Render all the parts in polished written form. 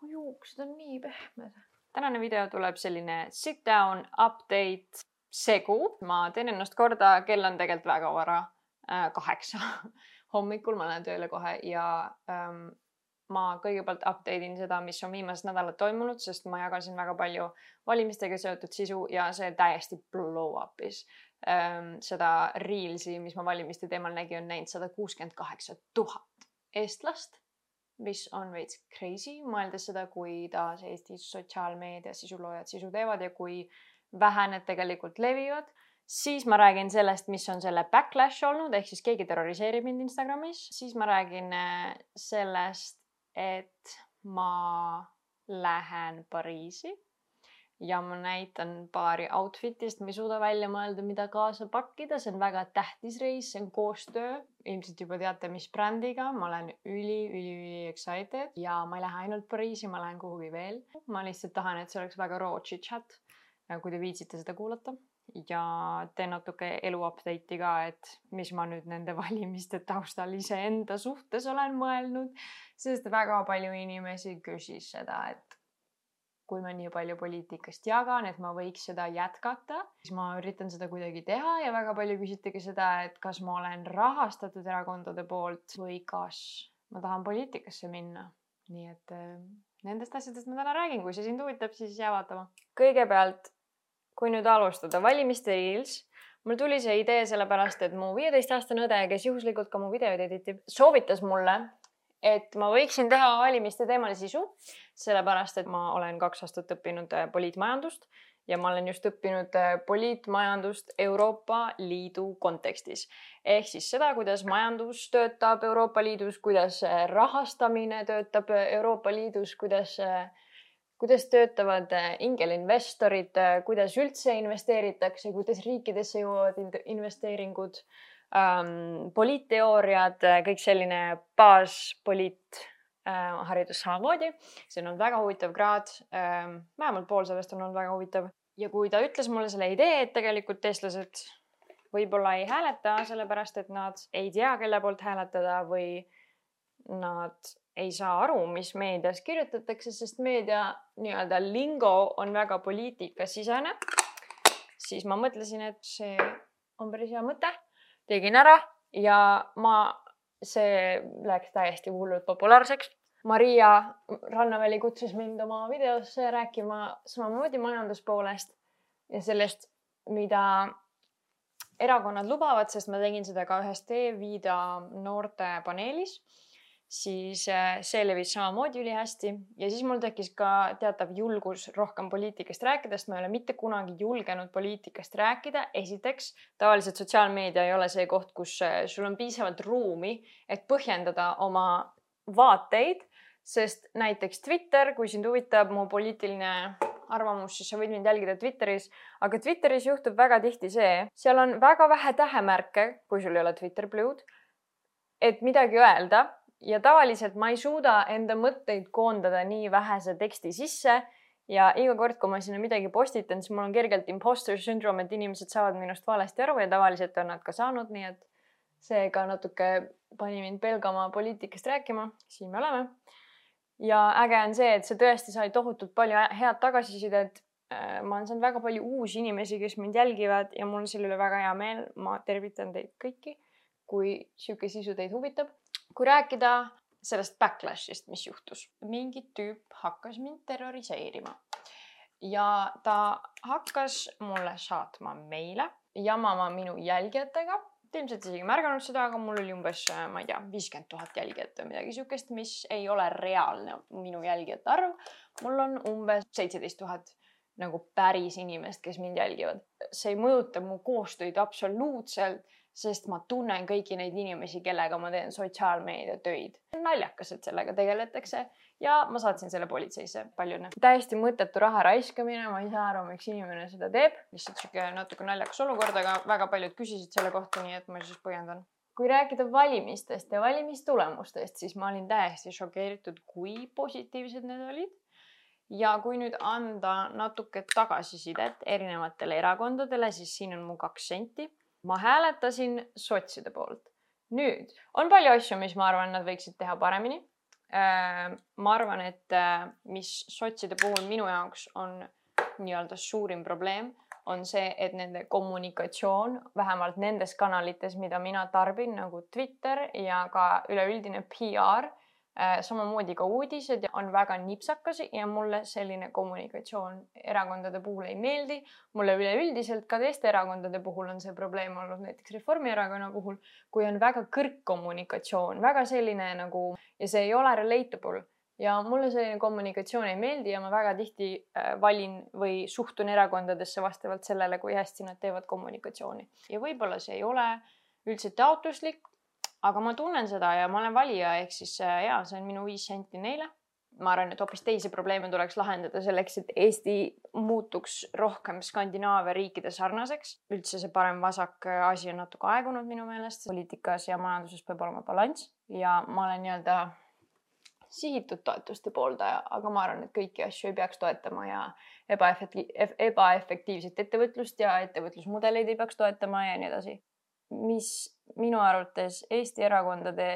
juuksed on nii pehmed. Tänane video tuleb selline sit down update segu. Ma teen ennast korda, kell on tegelikult väga vara, 8 hommikul, ma lähen tööle kohe ja ma kõigepealt update'in seda, mis on viimased nädalad toimunud, sest ma jagasin väga palju valimistega seotud sisu ja see täiesti blow up'is. Seda reelsi, mis ma valimiste teemal nägin, on näinud 168 000 eestlast, mis on veits crazy, mõeldes seda, kui taas Eestis sotsiaalmeedia sisuloojad sisu teevad ja kui vähe need tegelikult levivad. Siis ma räägin sellest, mis on selle backlash olnud, ehk siis keegi terroriseerib mind Instagramis. Siis ma räägin sellest, et ma lähen Pariisi ja ma näitan paari outfitist, ma ei suuda välja mõelda, mida kaasa pakkida. See on väga tähtis reis, see on koostöö. Ilmselt juba teate, mis brändiga. Ma olen üli excited ja ma ei lähe ainult Pariisi, ma lähen kuhugi veel. Ma lihtsalt tahan, et see oleks väga raw chit-chat, kui te viitsite seda kuulata. Ja teen natuke elu update'i ka, et mis ma nüüd nende valimiste taustal iseenda suhtes olen mõelnud, sest väga palju inimesi küsis seda, et kui ma nii palju poliitikast jagan, et ma võiks seda jätkata, siis ma üritan seda kuidagi teha ja väga palju küsitegi seda, et kas ma olen rahastatud erakondade poolt või kas ma tahan poliitikasse minna. Nii et nendest asjadest ma täna räägin, kui see sind huvitab, siis jää vaatama. Kõigepealt, kui nüüd alustada valimiste reels, mul tuli see idee sellepärast, et mu 15-aastane õde, kes juhuslikult ka mu videoid editib, soovitas mulle, et ma võiksin teha valimiste teemal sisu, sellepärast, et ma olen 2 aastat õppinud poliitmajandust ja ma olen just õppinud poliitmajandust Euroopa Liidu kontekstis. Ehk siis seda, kuidas majandus töötab Euroopa Liidus, kuidas rahastamine töötab Euroopa Liidus, kuidas töötavad ingelinvestorid, kuidas üldse investeeritakse, kuidas riikidesse jõuavad investeeringud, poliitteooriad, kõik selline baaspoliit haridus samamoodi. See on olnud väga huvitav kraad, vähemalt pool sellest on olnud väga huvitav. Ja kui ta ütles mulle selle idee, et tegelikult eestlased võib-olla ei hääleta, sellepärast et nad ei tea, kelle poolt hääletada või nad ei saa aru, mis meedias kirjutatakse, sest meedia nii-öelda lingo on väga poliitikasisene, siis ma mõtlesin, et see on päris hea mõte. Tegin ära ja see läks täiesti hullult populaarseks. Maria Rannaväli kutsus mind oma videosse rääkima samamoodi majanduspoolest ja sellest, mida erakonnad lubavad, sest ma tegin seda ka ühes T-Vida noorte paneelis. Siis see levis samamoodi ülihästi ja siis mul tekkis ka teatav julgus rohkem poliitikast rääkida, sest ma ei ole mitte kunagi julgenud poliitikast rääkida. Esiteks, tavaliselt sotsiaalmeedia ei ole see koht, kus sul on piisavalt ruumi, et põhjendada oma vaateid, sest näiteks Twitter, kui sind huvitab mu poliitiline arvamus, siis sa võid mind jälgida Twitteris, aga Twitteris juhtub väga tihti see, seal on väga vähe tähemärke, kui sul ei ole Twitter Blue'd, et midagi öelda. Ja tavaliselt ma ei suuda enda mõtteid koondada nii vähese teksti sisse ja iga kord, kui ma sinna midagi postitan, siis mul on kergelt imposter syndrome, et inimesed saavad minust valesti aru ja tavaliselt on nad ka saanud, nii et see ka natuke pani mind pelgama poliitikast rääkima. Siin me oleme. Ja äge on see, et see tõesti sai tohutult palju head tagasisidet. Ma olen saanud väga palju uusi inimesi, kes mind jälgivad ja mul on selle üle väga hea meel. Ma tervitan teid kõiki, kui siuke sisu teid huvitab. Kui rääkida sellest backlashist, mis juhtus, mingi tüüp hakkas mind terroriseerima ja ta hakkas mulle saatma meile, jamama minu jälgijatega. Ilmselt isegi märganud seda, aga mul oli umbes, ma ei tea, 50 000 jälgijat või midagi siukest, mis ei ole reaalne minu jälgijate arv. Mul on umbes 17 000 nagu päris inimest, kes mind jälgivad. See ei mõjuta mu koostöid absoluutselt, sest ma tunnen kõiki neid inimesi, kellega ma teen sotsiaalmeedia töid. Naljakas, et sellega tegeletakse ja ma saatsin selle politseisse palju. Täiesti mõttetu raha raiskamine, ma ei saa aru, miks inimene seda teeb. Lihtsalt siuke natuke naljakas olukord, aga väga paljud küsisid selle kohta, nii et ma siis põhjendan. Kui rääkida valimistest ja valimistulemustest, siis ma olin täiesti šokeeritud, kui positiivsed need olid. Ja kui nüüd anda natuke tagasisidet erinevatele erakondadele, siis siin on mu 2 senti. Ma hääletasin sotside poolt. Nüüd on palju asju, mis ma arvan, nad võiksid teha paremini. Ma arvan, et mis sotside puhul minu jaoks on nii-öelda suurim probleem, on see, et nende kommunikatsioon, vähemalt nendes kanalites, mida mina tarbin, nagu Twitter ja ka üleüldine PR, samamoodi ka uudised on väga nipsakas ja mulle selline kommunikatsioon erakondade puhul ei meeldi. Mulle üleüldiselt ka teiste erakondade puhul on see probleem olnud, näiteks Reformierakonna puhul, kui on väga kõrgkommunikatsioon, väga selline nagu, ja see ei ole relatable. Ja mulle selline kommunikatsioon ei meeldi ja ma väga tihti valin või suhtun erakondadesse vastavalt sellele, kui hästi nad teevad kommunikatsiooni. Ja võib-olla see ei ole üldse taotluslik, aga ma tunnen seda ja ma olen valija, ehk siis see on minu 5 senti neile. Ma arvan, et hoopis teisi probleeme tuleks lahendada selleks, et Eesti muutuks rohkem Skandinaavia riikide sarnaseks. Üldse see parem-vasak asi on natuke aegunud minu meelest. Poliitikas ja majanduses peab olema balanss ja ma olen nii-öelda sihitud toetuste pooldaja, aga ma arvan, et kõiki asju ei peaks toetama ja ebaefektiivset ettevõtlust ja ettevõtlusmudeleid ei peaks toetama ja nii edasi. Mis minu arvates Eesti erakondade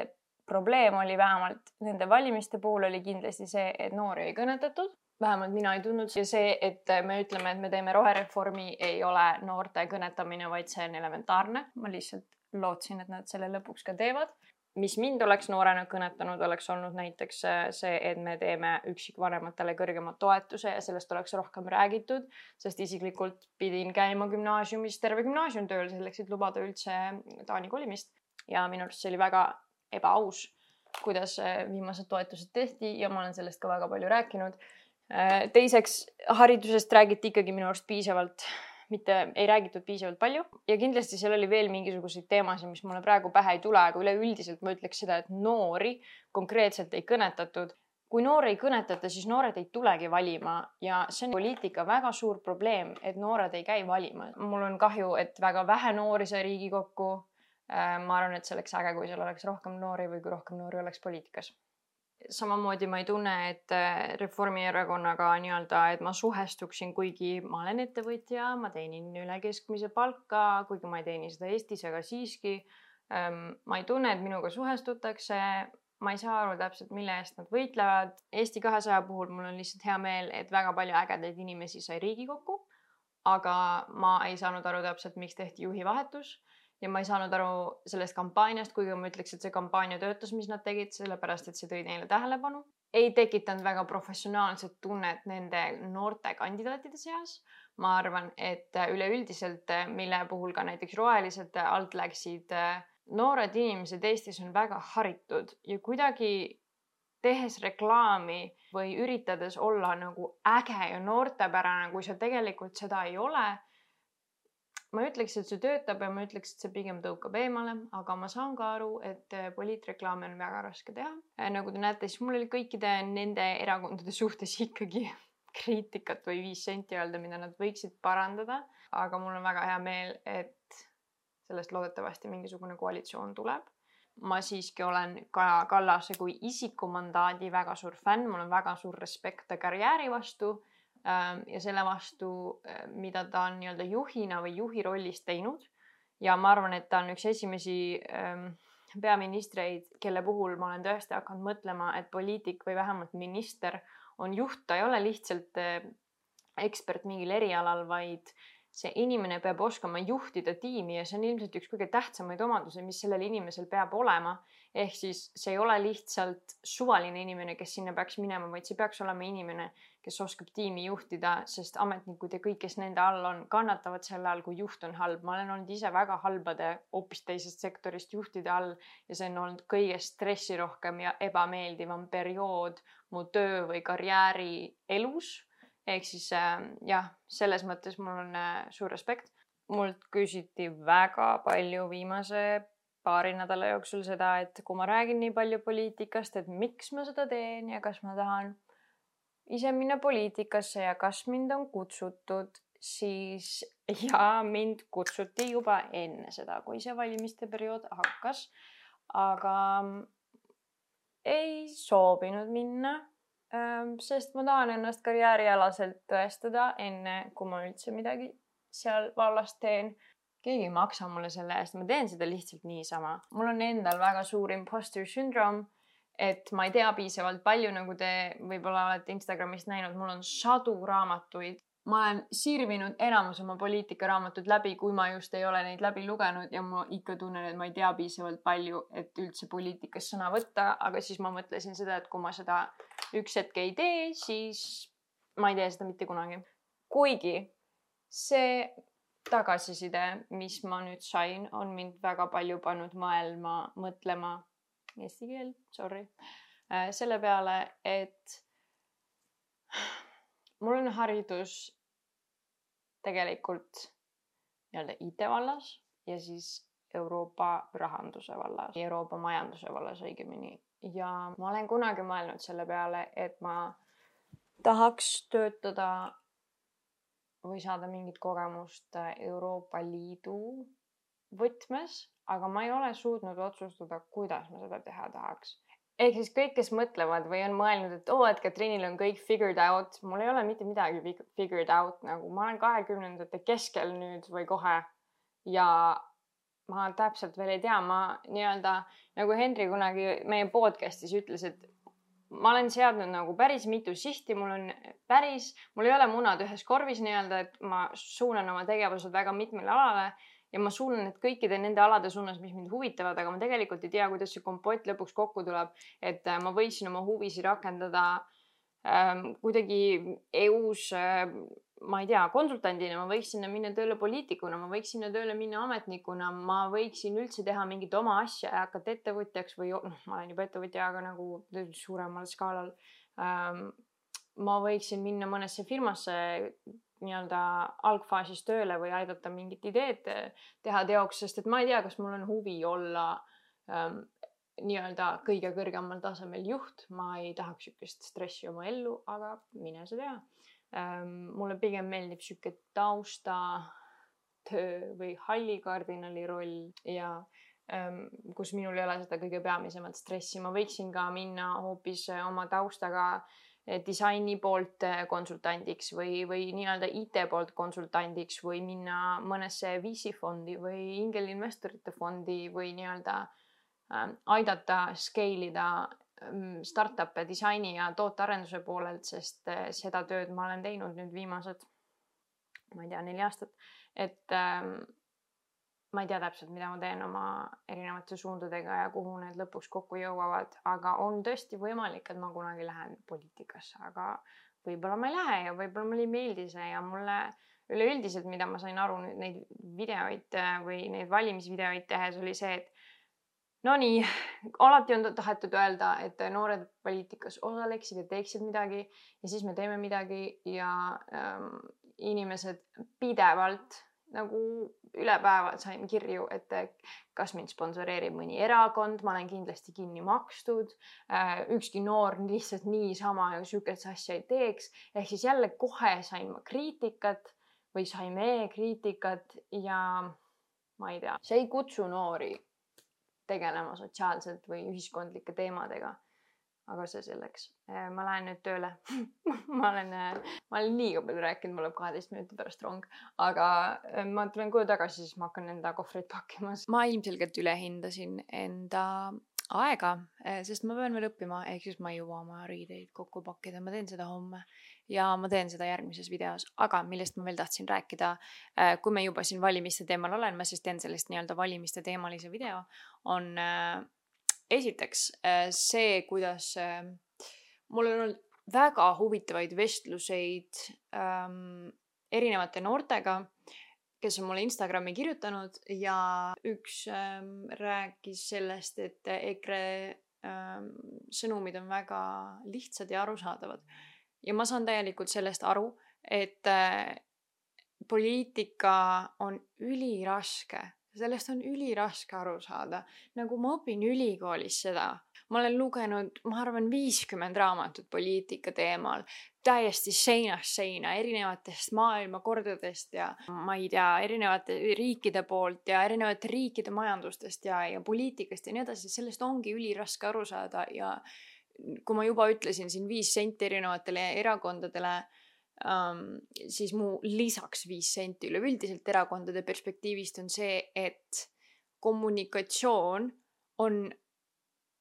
probleem oli vähemalt nende valimiste puhul oli kindlasti see, et noori ei kõnetatud. Vähemalt mina ei tundnud ja see, et me ütleme, et me teeme rohereformi, ei ole noorte kõnetamine, vaid see on elementaarne. Ma lihtsalt lootsin, et nad selle lõpuks ka teevad. Mis mind oleks noorena kõnetanud, oleks olnud näiteks see, et me teeme üksikvanematele kõrgema toetuse ja sellest oleks rohkem räägitud, sest isiklikult pidin käima gümnaasiumis terve gümnaasiumtööl selleks, et lubada üldse Taani kolimist. Ja minu arust see oli väga ebaaus, kuidas viimased toetused tehti ja ma olen sellest ka väga palju rääkinud. Teiseks, haridusest räägiti ikkagi minu arust piisavalt, mitte ei räägitud piisavalt palju ja kindlasti seal oli veel mingisuguseid teemasid, mis mulle praegu pähe ei tule, aga üleüldiselt ma ütleks seda, et noori konkreetselt ei kõnetatud. Kui noori ei kõnetata, siis noored ei tulegi valima ja see on poliitika väga suur probleem, et noored ei käi valima. Mul on kahju, et väga vähe noori sai Riigikokku. Ma arvan, et see oleks äge, kui seal oleks rohkem noori või kui rohkem noori oleks poliitikas. Samamoodi ma ei tunne, et Reformierakonnaga nii-öelda, et ma suhestuksin, kuigi ma olen ettevõtja, ma teenin üle keskmise palka, kuigi ma ei teeni seda Eestis, aga siiski ma ei tunne, et minuga suhestutakse. Ma ei saa aru täpselt, mille eest nad võitlevad. Eesti 200 puhul mul on lihtsalt hea meel, et väga palju ägedaid inimesi sai Riigikokku, aga ma ei saanud aru täpselt, miks tehti juhi vahetus. Ja ma ei saanud aru sellest kampaaniast, kuigi ma ütleks, et see kampaania töötas, mis nad tegid, sellepärast, et see tõi neile tähelepanu. Ei tekitanud väga professionaalset tunnet nende noorte kandidaatide seas. Ma arvan, et üleüldiselt, mille puhul ka näiteks rohelised alt läksid, noored inimesed Eestis on väga haritud ja kuidagi tehes reklaami või üritades olla nagu äge ja noortepärane, kui see tegelikult seda ei ole. Ma ütleks, et see töötab ja ma ütleks, et see pigem tõukab eemale, aga ma saan ka aru, et poliitreklaami on väga raske teha. Nagu te näete, siis mul oli kõikide nende erakondade suhtes ikkagi kriitikat või 5 senti öelda, mida nad võiksid parandada. Aga mul on väga hea meel, et sellest loodetavasti mingisugune koalitsioon tuleb. Ma siiski olen Kaja Kallase kui isikumandaadi väga suur fänn, mul on väga suur respekt ta karjääri vastu. Ja selle vastu, mida ta on nii-öelda juhina või juhi rollis teinud. Ja ma arvan, et ta on üks esimesi peaministreid, kelle puhul ma olen tõesti hakanud mõtlema, et poliitik või vähemalt minister on juht, ta ei ole lihtsalt ekspert mingil erialal, vaid see inimene peab oskama juhtida tiimi ja see on ilmselt üks kõige tähtsamaid omadusi, mis sellel inimesel peab olema. Ehk siis see ei ole lihtsalt suvaline inimene, kes sinna peaks minema, vaid see peaks olema inimene, kes oskab tiimi juhtida, sest ametnikud ja kõik, kes nende all on, kannatavad selle all, kui juht on halb. Ma olen olnud ise väga halbade hoopis teisest sektorist juhtide all ja see on olnud kõige stressirohkem ja ebameeldivam periood mu töö või karjääri elus. Ehk siis jah, selles mõttes mul on suur respekt. Mult küsiti väga palju viimase paari nädala jooksul seda, et kui ma räägin nii palju poliitikast, et miks ma seda teen ja kas ma tahan ise minna poliitikasse ja kas mind on kutsutud, siis ja mind kutsuti juba enne seda, kui see valimiste periood hakkas. Aga ei soovinud minna. Sest ma tahan ennast karjäärialaselt tõestada enne, kui ma üldse midagi seal vallas teen. Keegi ei maksa mulle selle eest, ma teen seda lihtsalt niisama. Mul on endal väga suur imposter syndrome et ma ei tea piisavalt palju, nagu te võib-olla olete Instagramist näinud, mul on sadu raamatuid. Ma olen sirvinud enamus oma poliitikaraamatud läbi, kui ma just ei ole neid läbi lugenud ja ma ikka tunnen, et ma ei tea piisavalt palju, et üldse poliitikas sõna võtta, aga siis ma mõtlesin seda, et kui ma seda üks hetk ei tee, siis ma ei tee seda mitte kunagi. Kuigi see tagasiside, mis ma nüüd sain, on mind väga palju pannud mõtlema eesti keel, sorry, selle peale, et mul on haridus tegelikult nii-öelda IT vallas ja siis Euroopa rahanduse vallas, Euroopa majanduse vallas õigemini. Ja ma olen kunagi mõelnud selle peale, et ma tahaks töötada või saada mingit kogemust Euroopa Liidu võtmes, aga ma ei ole suutnud otsustada, kuidas ma seda teha tahaks. Ehk siis kõik, kes mõtlevad või on mõelnud, et Katriinil on kõik figured out. Mul ei ole mitte midagi figured out. Nagu ma olen 20-ndate keskel nüüd või kohe ja ma täpselt veel ei tea. Ma nii-öelda, nagu Henri kunagi meie podcastis ütles, et ma olen seadnud nagu päris mitu sihti. Mul ei ole munad ühes korvis nii-öelda, et ma suunan oma tegevused väga mitmele alale. Ja ma suunan need kõikide nende alade suunas, mis mind huvitavad, aga ma tegelikult ei tea, kuidas see kompott lõpuks kokku tuleb, et ma võiksin oma huvisi rakendada kuidagi EUs, ma ei tea, konsultandina, ma võiksin sinna minna tööle poliitikuna, ma võiksin sinna tööle minna ametnikuna, ma võiksin üldse teha mingit oma asja ja hakata ettevõtjaks või ma olen juba ettevõtja, aga nagu suuremal skaalal. Ma võiksin minna mõnesse firmasse nii-öelda algfaasis tööle või aidata mingit ideed teha teoks, sest et ma ei tea, kas mul on huvi olla nii-öelda kõige kõrgemal tasemel juht. Ma ei tahaks sükest stressi oma ellu, aga mine sa tea. Mulle pigem meeldib süke tausta töö või hallikardinali roll ja kus minul ei ole seda kõige peamisemat stressi. Ma võiksin ka minna hoopis oma taustaga disaini poolt konsultandiks või nii-öelda IT poolt konsultandiks või minna mõnesse VC fondi või ingelinvestorite fondi või nii-öelda aidata scale ida startup'e disaini ja tootearenduse poolelt, sest seda tööd ma olen teinud nüüd viimased, ma ei tea, 4 aastat, et ma ei tea täpselt, mida ma teen oma erinevate suundadega ja kuhu need lõpuks kokku jõuavad, aga on tõesti võimalik, et ma kunagi lähen poliitikasse, aga võib-olla ma ei lähe ja võib-olla mulle ei meeldi see ja mulle üleüldiselt, mida ma sain aru nüüd neid videoid või neid valimisvideoid tehes oli see, et no nii, alati on tahetud öelda, et noored poliitikas osaleksid ja teeksid midagi ja siis me teeme midagi ja inimesed pidevalt nagu üle päeva sain kirju, et kas mind sponsoreerib mõni erakond, ma olen kindlasti kinni makstud, ükski noor lihtsalt niisama ja sükest asja ei teeks. Ehk siis jälle kohe sain ma kriitikat või saime kriitikat ja ma ei tea, see ei kutsu noori tegelema sotsiaalselt või ühiskondlike teemadega. Aga see selleks. Ma lähen nüüd tööle. ma olen liiga palju rääkinud, mul läheb 12 minuti pärast rong. Aga ma tulen koju tagasi, siis ma hakkan enda kohvreid pakkima. Ma ilmselgelt ülehindasin enda aega, sest ma pean veel õppima, ehk siis ma ei jõua oma riideid kokku pakkida. Ma teen seda homme ja ma teen seda järgmises videos. Aga millest ma veel tahtsin rääkida, kui me juba siin valimiste teemal olen, ma siis teen sellest nii-öelda valimiste teemalise video, on esiteks see, kuidas mul on olnud väga huvitavaid vestluseid erinevate noortega, kes on mulle Instagrami kirjutanud ja üks rääkis sellest, et EKRE sõnumid on väga lihtsad ja arusaadavad. Ja ma saan täielikult sellest aru, et poliitika on üliraske. Sellest on üliraske aru saada. Nagu ma õpin ülikoolis seda. Ma olen lugenud, ma arvan, 50 raamatut poliitika teemal. Täiesti seinast seina, erinevatest maailmakordadest ja ma ei tea, erinevate riikide poolt ja erinevate riikide majandustest ja poliitikast ja nii edasi. Sellest ongi üliraske aru saada ja kui ma juba ütlesin siin 5 senti erinevatele erakondadele, siis mu lisaks 5 senti üleüldiselt erakondade perspektiivist on see, et kommunikatsioon on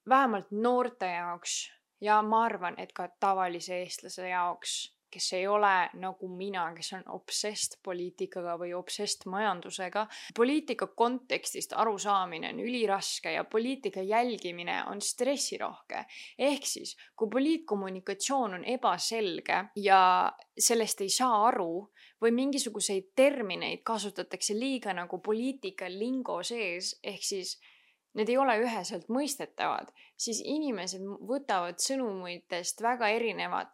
vähemalt noorte jaoks ja ma arvan, et ka tavalise eestlase jaoks, kes ei ole nagu mina, kes on obsessed poliitikaga või obsessed majandusega. Poliitika kontekstist arusaamine on üliraske ja poliitika jälgimine on stressirohke. Ehk siis, kui poliitkommunikatsioon on ebaselge ja sellest ei saa aru või mingisuguseid termineid kasutatakse liiga nagu poliitika lingo sees, ehk siis need ei ole üheselt mõistetavad, siis inimesed võtavad sõnumitest väga erinevad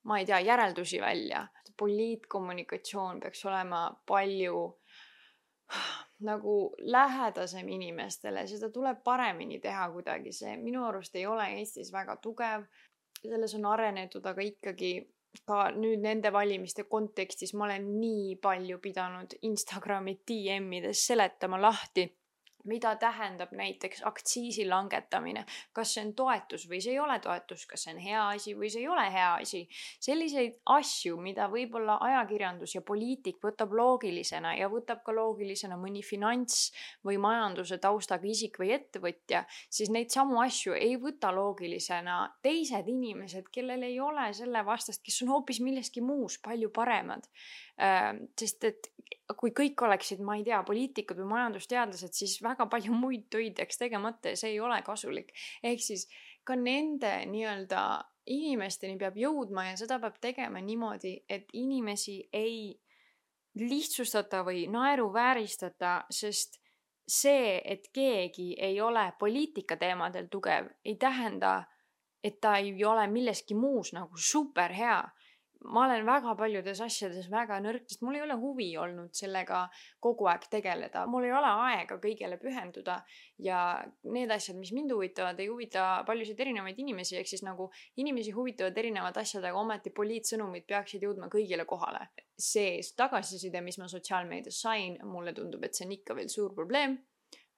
ma ei tea, järeldusi välja. Poliitkommunikatsioon peaks olema palju nagu lähedasem inimestele, seda tuleb paremini teha kuidagi. See minu arust ei ole Eestis väga tugev, selles on arenetud, aga ikkagi ka nüüd nende valimiste kontekstis ma olen nii palju pidanud Instagrami DM-ides seletama lahti, mida tähendab näiteks aktsiisi langetamine, kas see on toetus või see ei ole toetus, kas see on hea asi või see ei ole hea asi. Selliseid asju, mida võib-olla ajakirjandus ja poliitik võtab loogilisena ja võtab ka loogilisena mõni finants või majanduse taustaga isik või ettevõtja, siis neid samu asju ei võta loogilisena teised inimesed, kellel ei ole selle vastast, kes on hoopis milleski muus palju paremad. Sest et kui kõik oleksid, ma ei tea, poliitikud või majandusteadlased, siis väga palju muid töid jääks tegemata ja see ei ole kasulik. Ehk siis ka nende nii-öelda inimesteni peab jõudma ja seda peab tegema niimoodi, et inimesi ei lihtsustata või naeruvääristata, sest see, et keegi ei ole poliitika teemadel tugev, ei tähenda, et ta ei ole milleski muus nagu super hea. Ma olen väga paljudes asjades väga nõrk, sest mul ei ole huvi olnud sellega kogu aeg tegeleda. Mul ei ole aega kõigele pühenduda ja need asjad, mis mind huvitavad, ei huvita paljusid erinevaid inimesi, ehk siis nagu inimesi huvitavad erinevad asjad, aga ometi poliitsõnumid peaksid jõudma kõigile kohale. See tagasiside, mis ma sotsiaalmeedias sain, mulle tundub, et see on ikka veel suur probleem.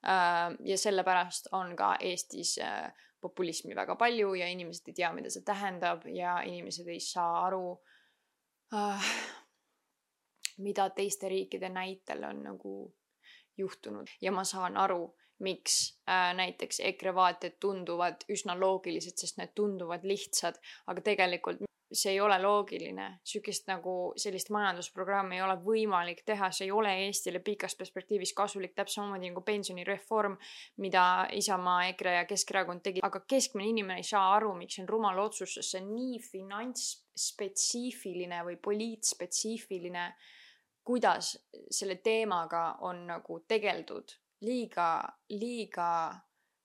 Ja sellepärast on ka Eestis populismi väga palju ja inimesed ei tea, mida see tähendab ja inimesed ei saa aru, mida teiste riikide näitel on nagu juhtunud. Ja ma saan aru, miks näiteks EKRE vaated tunduvad üsna loogilised, sest need tunduvad lihtsad, aga tegelikult see ei ole loogiline. Sellist majandusprogrammi ei ole võimalik teha, see ei ole Eestile pikas perspektiivis kasulik, täpselt samamoodi nagu pensionireform, mida Isamaa, EKRE ja Keskerakond tegi. Aga keskmine inimene ei saa aru, miks see on rumal otsus, sest see on nii finantsspetsiifiline või poliitspetsiifiline, kuidas selle teemaga on nagu tegeldud. Liiga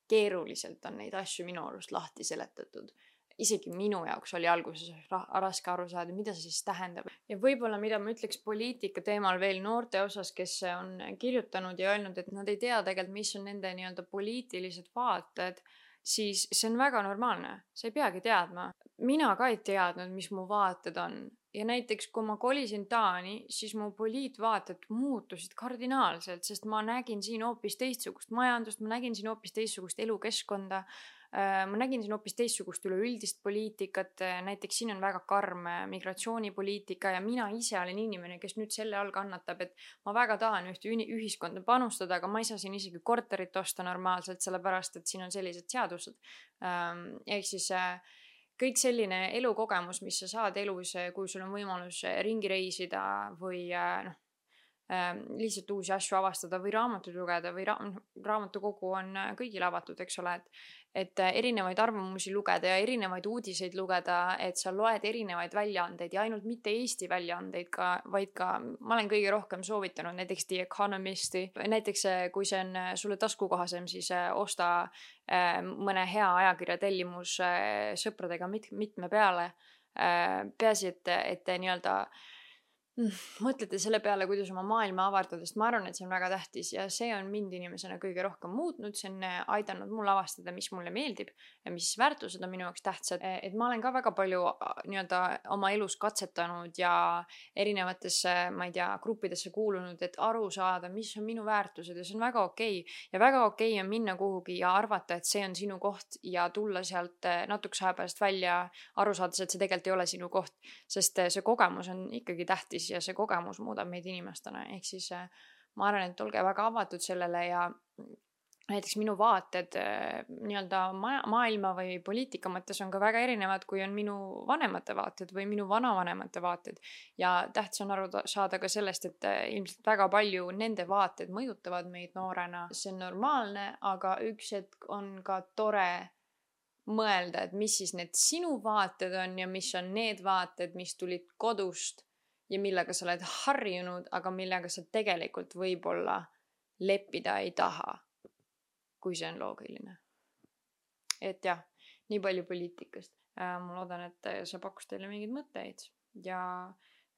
keeruliselt on neid asju minu arust lahti seletatud. Isegi minu jaoks oli alguses raske aru saada, mida see siis tähendab. Ja võib-olla mida ma ütleks poliitika teemal veel noorte osas, kes on kirjutanud ja öelnud, et nad ei tea tegelikult, mis on nende nii-öelda poliitilised vaated, siis see on väga normaalne. Sa ei peagi teadma. Mina ka ei teadnud, mis mu vaated on. Ja näiteks, kui ma kolisin Taani, siis mu poliitvaated muutusid kardinaalselt, sest ma nägin siin hoopis teistsugust majandust, ma nägin siin hoopis teistsugust elukeskkonda, ma nägin siin hoopis teistsugust üleüldist poliitikat, näiteks siin on väga karm migratsioonipoliitika ja mina ise olen inimene, kes nüüd selle all kannatab, et ma väga tahan ühte ühiskonda panustada, aga ma ei saa siin isegi korterit osta normaalselt, sellepärast et siin on sellised seadused. Ehk siis kõik selline elukogemus, mis sa saad elus, kui sul on võimalus ringi reisida või lihtsalt uusi asju avastada või raamatuid lugeda või raamatukogu on kõigile avatud, eks ole, et erinevaid arvamusi lugeda ja erinevaid uudiseid lugeda, et sa loed erinevaid väljaandeid ja ainult mitte Eesti väljaandeid vaid ka ma olen kõige rohkem soovitanud näiteks The Economisti, näiteks kui see on sulle taskukohasem, siis osta mõne hea ajakirja tellimus sõpradega mitme peale, peaasi, et nii-öelda mõtlete selle peale, kuidas oma maailma avardada, sest ma arvan, et see on väga tähtis ja see on mind inimesena kõige rohkem muutnud, see on aidanud mul avastada, mis mulle meeldib ja mis väärtused on minu jaoks tähtsad, et ma olen ka väga palju nii-öelda oma elus katsetanud ja erinevatesse, ma ei tea, gruppidesse kuulunud, et aru saada, mis on minu väärtused ja see on väga okei. Ja väga okei on minna kuhugi ja arvata, et see on sinu koht ja tulla sealt natukese aja pärast välja, aru saades, et see tegelikult ei ole sinu koht, sest see kogemus on ikkagi tähtis ja see kogemus muudab meid inimestena, ehk siis ma arvan, et olge väga avatud sellele ja näiteks minu vaated nii-öelda maailma või poliitika mõttes on ka väga erinevad, kui on minu vanemate vaated või minu vanavanemate vaated. Ja tähtis on aru saada ka sellest, et ilmselt väga palju nende vaated mõjutavad meid noorena. See on normaalne, aga üks hetk on ka tore mõelda, et mis siis need sinu vaated on ja mis on need vaated, mis tulid kodust ja millega sa oled harjunud, aga millega sa tegelikult võib-olla leppida ei taha, kui see on loogiline. Et jah, nii palju poliitikast. Ma loodan, et see pakkus teile mingeid mõtteid ja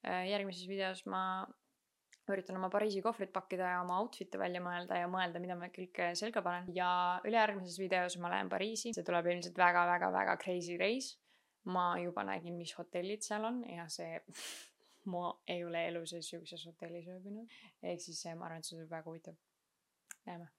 järgmises videos ma üritan oma Pariisi kohvrit pakkida ja oma outfit'e välja mõelda ja mõelda, mida ma kõike selga panen. Ja ülejärgmises videos ma lähen Pariisi. See tuleb ilmselt väga crazy reis. Ma juba nägin, mis hotellid seal on ja see ma ei ole elu sees siukses hotellis ööbinud. Ehk siis ma arvan, et see tuleb väga huvitav. Näeme.